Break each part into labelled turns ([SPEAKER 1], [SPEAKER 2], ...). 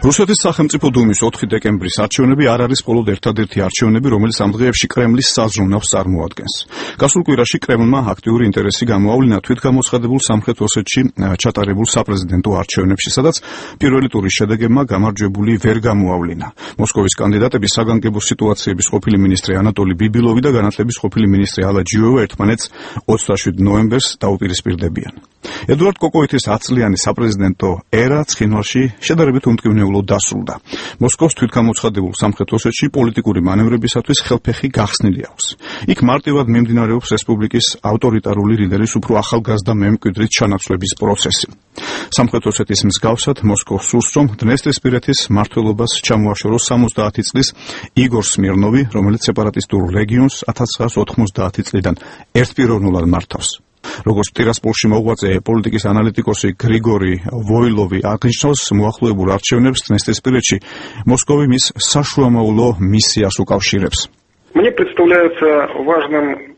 [SPEAKER 1] რუსეთის სახელმწიფო დუმის 4 დეკემბრის არჩევნები არ არის მხოლოდ ერთადერთი არჩევნები, რომელიც ამ დღეებში კრემლის საზრუნავს წარმოადგენს. გასულ კვირაში კრემლმა აქტიური ინტერესი გამოავლინა თვითგამოცხადებულ სამხრეთ ოსეთში ჩატარებულ საპრეზიდენტო არჩევნებში, სადაც პირველი ტურის შედეგებმა გამარჯვებული ვერ გამოავლინა. მოსკოვის კანდიდატები საგანგებო სიტუაციების ყოფილი მინისტრი ანატოლი ბიბილოვი და განათლების ყოფილი მინისტრი ალა ჯიოვა ერთმანეთს 27 ნოემბერს დაუპირისპირდებიან. ედუარდ კოკოიტის 10 წლიანი საპრეზიდენტო ერა ცხინვალში შედარებით უმტკივნეულოდ დასრულდა. მოსკოვს თვითგამოცხადებულ სამხრეთ ოსეთში პოლიტიკური მანევრებისათვის ხელფეხი გახსნილი აქვს. იქ მარტივად მიმდინარეობს რესპუბლიკის ავტორიტარული ლიდერის უფრო ახალგაზრდა მემკვიდრის ჩანაცვლების პროცესი. სამხრეთ ოსეთის მსგავსად მოსკოვს სურს, რომ დნესტრისპირეთის მმართველობას ჩამოაშოროს 70 წლის იგორ სმირნოვი, რომელიც სეპარატისტულ რეგიონს 1990 წლიდან ერთპიროვნულად მართავს. როგორც ტირასპოლში მოღვაწე პოლიტიკის ანალიტიკოსი გრიგორი ვოილოვი აღნიშნავს, მოახლოებულ არჩევნებს დნესტრისპირეთში მოსკოვი მის საშუამავლო მისიას უკავშირებს.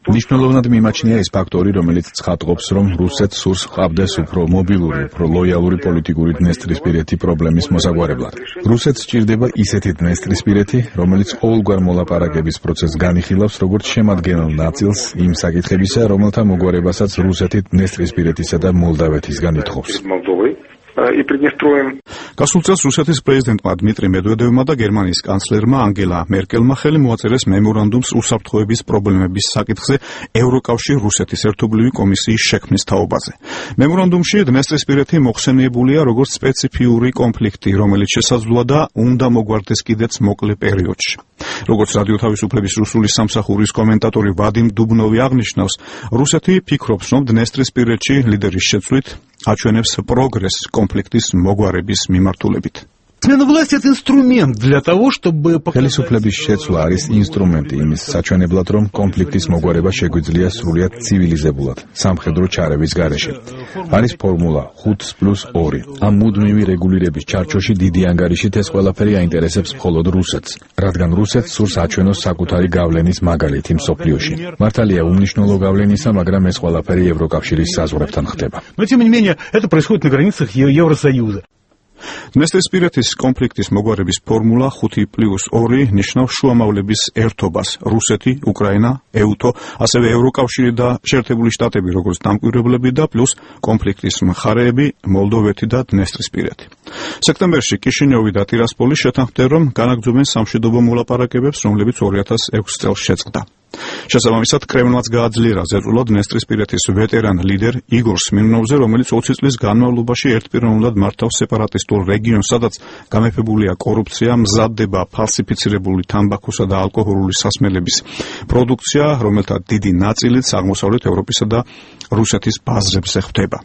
[SPEAKER 2] მნიშვნელოვნად მიმაჩნია ის ფაქტორი, რომელიც ცხადყოფს, რომ რუსეთს სურს ჰყავდეს უფრო მობილური, უფრო ლოიალური პოლიტიკური დნესტრისპირეთი პრობლემის მოსაგვარებლად. რუსეთს სჭირდება ისეთი დნესტრისპირეთი, რომელიც ყოველგვარ მოლაპარაკების პროცესს განიხილავს, როგორც შემადგენელ ნაწილს იმ საკითხებისა, რომელთა მოგვარებასაც რუსეთი დნესტრისპირეთისა და მოლდავეთისგან ითხოვს.
[SPEAKER 1] გასულ წელს რუსეთის პრეზიდენტმა დმიტრი მედვედევმა და გერმანიის კანცლერმა ანგელა მერკელმა ხელი მოაწერეს მემორანდუმს უსაფრთხოების პრობლემების საკითხზე ევროკავშირ-რუსეთის ერთობლივი კომისიის შექმნის თაობაზე. მემორანდუმში დნესტრისპირეთი მოხსენიებულია როგორც სპეციფიური კონფლიქტი, რომელიც შესაძლოა და უნდა მოგვარდეს კიდეც მოკლე პერიოდში. როგორც რადიო თავისუფლების რუსული სამსახურის კომენტატორი ვადიმ დუბნოვი აღნიშნავს, რუსეთი ფიქრობს, რომ დნესტრისპირეთში ლიდერის შეცვლით აჩვენებს პროგრესს კონფლიქტის მოგვარების მიმართულებით.
[SPEAKER 2] ხელისუფლების შეცვლა არის ინსტრუმენტი იმის საჩვენებლად, რომ კონფლიქტის მოგვარება შეგვიძლია სრულიად ცივილიზებულად, სამხედრო ჩარების გარეშე. არის ფორმულა 5+2. ამ მუდმივი რეგულირების ჩარჩოში დიდი ანგარიშით ეს ყველაფერი აინტერესებს მხოლოდ რუსეთს, რადგან რუსეთს სურს აჩვენოს საკუთარი გავლენის მაგალითი მსოფლიოში. მართალია უმნიშვნელო გავლენისა, მაგრამ ეს ყველაფერი ევროკავშირის საზღვრებთან ხდება.
[SPEAKER 1] დნესტრისპირეთის კონფლიქტის მოგვარების ფორმულა 5+2 ნიშნავს შუამავლების ერთობას: რუსეთი, უკრაინა, ეუთო, ასევე ევროკავშირი და შეერთებული შტატები როგორც დამკვირვებლები და პლუს კონფლიქტის მხარეები მოლდოვეთი და დნესტრისპირეთი. სექტემბერში კიშინიოვი და ტირასპოლი შეთანხმდნენ, რომ განაგრძობენ სამშვიდობო მოლაპარაკებებს, რომლებიც 2006 წელს შეწყდა. შესაბამისად, კრემლმაც გააძლიერა ზეწოლა დნესტრისპირეთის ვეტერან ლიდერ იგორ სმირნოვზე, რომელიც 20 წლის განმავლობაში ერთპიროვნულად მართავს სეპარატისტულ რეგიონს, სადაც გამეფებულია კორუფცია, მზადდება ფალსიფიცირებული თამბაქოსა და ალკოჰოლური სასმელების პროდუქცია, რომელთა დიდი ნაწილიც აღმოსავლეთ ევროპისა და რუსეთის ბაზრებზე ხდება.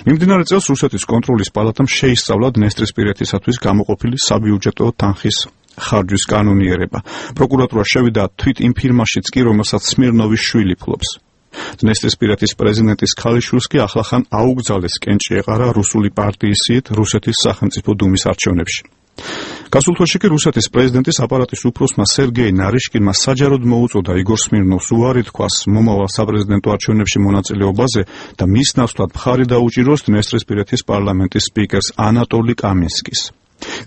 [SPEAKER 1] მიმდინარე წელს რუსეთის კონტროლის პალატამ შეისწავლა დნესტრისპირეთისათვის გამოყოფილი საბიუჯეტო თანხის ხარჯვის კანონიერება. პროკურატურა შევიდა თვით იმ ფირმაშიც კი, რომელსაც სმირნოვის შვილი ფლობს. დნესტრისპირეთის პრეზიდენტის ქალიშვილს კი ახლახან აუგზავნეს კენჭი ეყარა რუსული პარტიის სიით რუსეთის სახელმწიფო დუმის არჩევნებში. გასულ თვეში კი რუსეთის პრეზიდენტის აპარატის უფროსმა სერგეი ნარიშკინმა საჯაროდ მოუწოდა იგორ სმირნოვს უარი თქვას მომავალ საპრეზიდენტო არჩევნებში მონაწილეობაზე და მის ნაცვლად მხარი დაუჭიროს დნესტრისპირეთის პარლამენტის სპიკერს ანატოლი კამინსკის.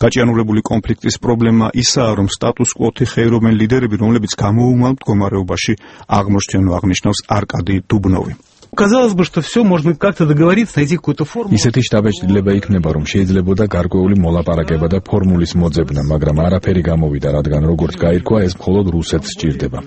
[SPEAKER 1] გაჭიანურებული კონფლიქტის პრობლემა ისაა, რომ სტატუს-კვოთი ხეირობენ ლიდერები, რომლებიც გამოუმალ მდგომარეობაში აღმოჩნდნენ, აღნიშნავს არკადი დუბნოვი.
[SPEAKER 3] Казалось бы, что все можно как-то договориться, найти какую-то формулу.
[SPEAKER 2] ისეთი შტაბეჭდილება იქნება, რომ შეიძლებოდა გარკვეული მოლაპარაკება და ფორმულის მოძებნა, მაგრამ არაფერი გამოვიდა, რადგან როგორც გაირკვა, ეს მხოლოდ რუსეთს სჭირდება.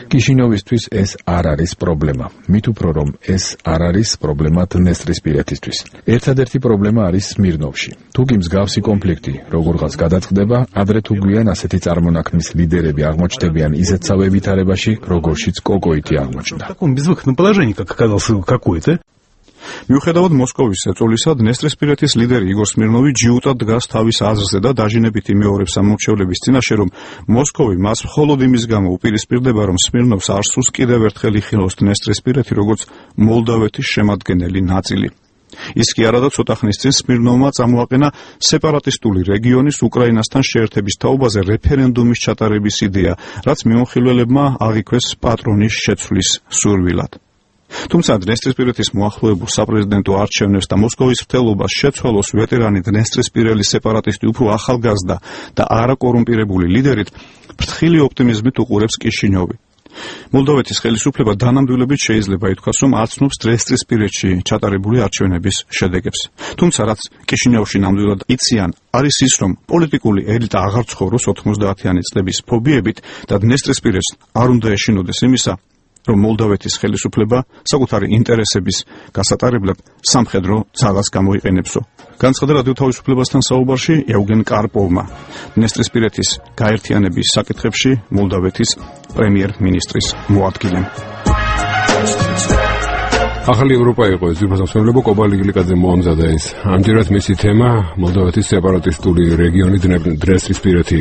[SPEAKER 2] კიშინიოვისთვის ეს არ არის პრობლემა. მით უფრო რომ ეს არ არის პრობლემა დნესტრისპირეთისთვის. ერთადერთი პრობლემა არის სმირნოვში. თუ კი მსგავსი კონფლიქტი როგორღაც გადაწყდება, ადრე თუ გვიან ასეთი წარმონაქმნის ლიდერები აღმოჩნდებიან ისეთსავე ვითარებაში, როგორშიც კოკოიტი აღმოჩნდა.
[SPEAKER 1] მიუხედავად მოსკოვის ზეწოლისა, დნესტრისპირეთის ლიდერი იგორ სმირნოვი ჯიუტად დგას თავის აზრზე და დაჟინებით იმეორებს ამორჩევლების წინაშე, რომ მოსკოვი მას მხოლოდ იმის გამო უპირისპირდება, რომ სმირნოვს არ სურს კიდევ ერთხელ იხილოს დნესტრისპირეთი როგორც მოლდავეთის შემადგენელი ნაწილი. ის კი არა და ცოტა ხნის წინ სმირნოვმა წამოაყენა სეპარატისტული რეგიონის უკრაინასთან შეერთების თაობაზე რეფერენდუმის ჩატარების იდეა, რაც მიმოხილველებმა აღიქვეს პატრონის შეცვლის სურვილად. თუმცა დნესტრისპირეთის მოახლოებულ საპრეზიდენტო არჩევნებს და მოსკოვის მრთელობას შეცვალოს ვეტერანი დნესტრისპირელის სეპარატისტი უფრო ახალგაზრდა და არაკორუმპირებული ლიდერით ფრთხილი ოპტიმიზმით უყურებს კიშინიოვი. მოლდოვეთის ხელისუფლება დანამდვილებით შეიძლება ითქვას, რომ აცნობს დნესტრისპირეთში ჩატარებული არჩევნების შედეგებს. თუმცა რაც კიშინიოვში ნამდვილად იციან, არის ის, რომ პოლიტიკური ელიტა აღარ ცხოვრობს 90-იანი წლების ფობიებით და დნესტრისპირეთს არ უნდა ეშინოდეს იმისა, რომ მოლდოვეთის ხელისუფლება საკუთარი ინტერესების გასატარებლად სამხედრო ძალას გამოიყენებსო. განცხადა რადიო თავისუფლებასთან საუბარში ეუგენ კარპოვმა, დნესტრისპირეთის გაერთიანების საკითხებში მოლდოვეთის პრემიერ-მინისტრის მოადგილემ.
[SPEAKER 4] ახალი ევროპა იყო ეს ძირფასმსვლელობა კობალი გლიკაძე მოამზადა ეს. ამჯერად მისი თემა მოლდოვეთის სეპარატისტული რეგიონი დნესტრისპირეთი.